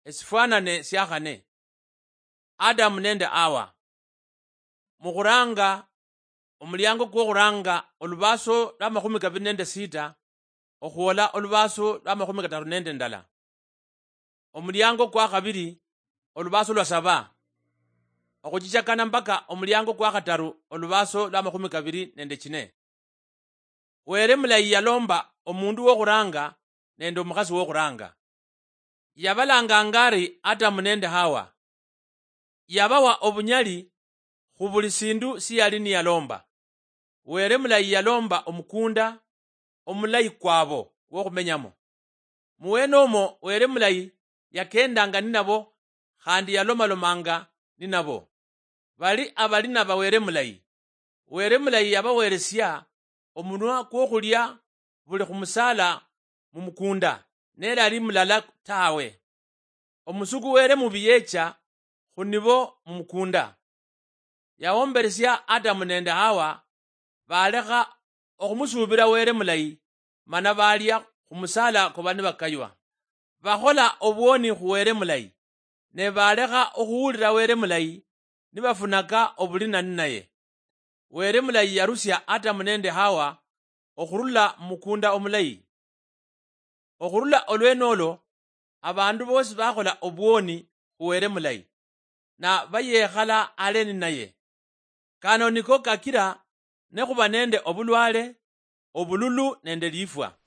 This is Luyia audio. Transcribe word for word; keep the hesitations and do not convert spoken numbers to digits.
Esifwanane sia khane. Adamu nende Hawa. Mukhuranga, omuliango kwokhuranga olubaaso lwa makhumi kabili nende sita okhwola olubaaso lwa makhumi kataru nende ndala. Omuliango kwa khabili, olubaaso lwa saba, okhuchichakana mpaka omuliango kwa khataru olubaaso lwa makhumi kabili nende chine. Were mulayi yalomba omundu wokhuranga nende omukhasi wokhuranga. Yabalanganga ari Adamu nende Hawa. Yabawa obunyali khu buli sindu siyali niyalomba. Were mulayi yalomba omukunda omulayi kwabo kwokhumenyamo. Muwene omwo Were mulayi yakendanga ninabo khandi yalomalomanga ninabo. Bali abali naba Were mulayi. Were mulayi yabaweresia omunwa kwokhulia buli khumusala mumukunda, nelali mulala tawe. Omusuku Were mubi yecha khunibo mumukunda. Yawomberesia Adamu nende Hawa, balekha okhumusuubila Were mulayi, mana baalia khumusala koba nibakaywa. Bakhola obwoni khu Were mulayi, ne balekha okhuwulila Were mulayi, nibafunaka obulina ninaye. Were mulayi yarusia Adamu nende Hawa okhurula mumukunda omulayi. Okhurula olwene olo, abandu bosi bakhola obwoni khu Were mulayi, na bayekhala hale ninaye. Kano niko kakila nekhuba nende obulwale, obululu nende lifwa.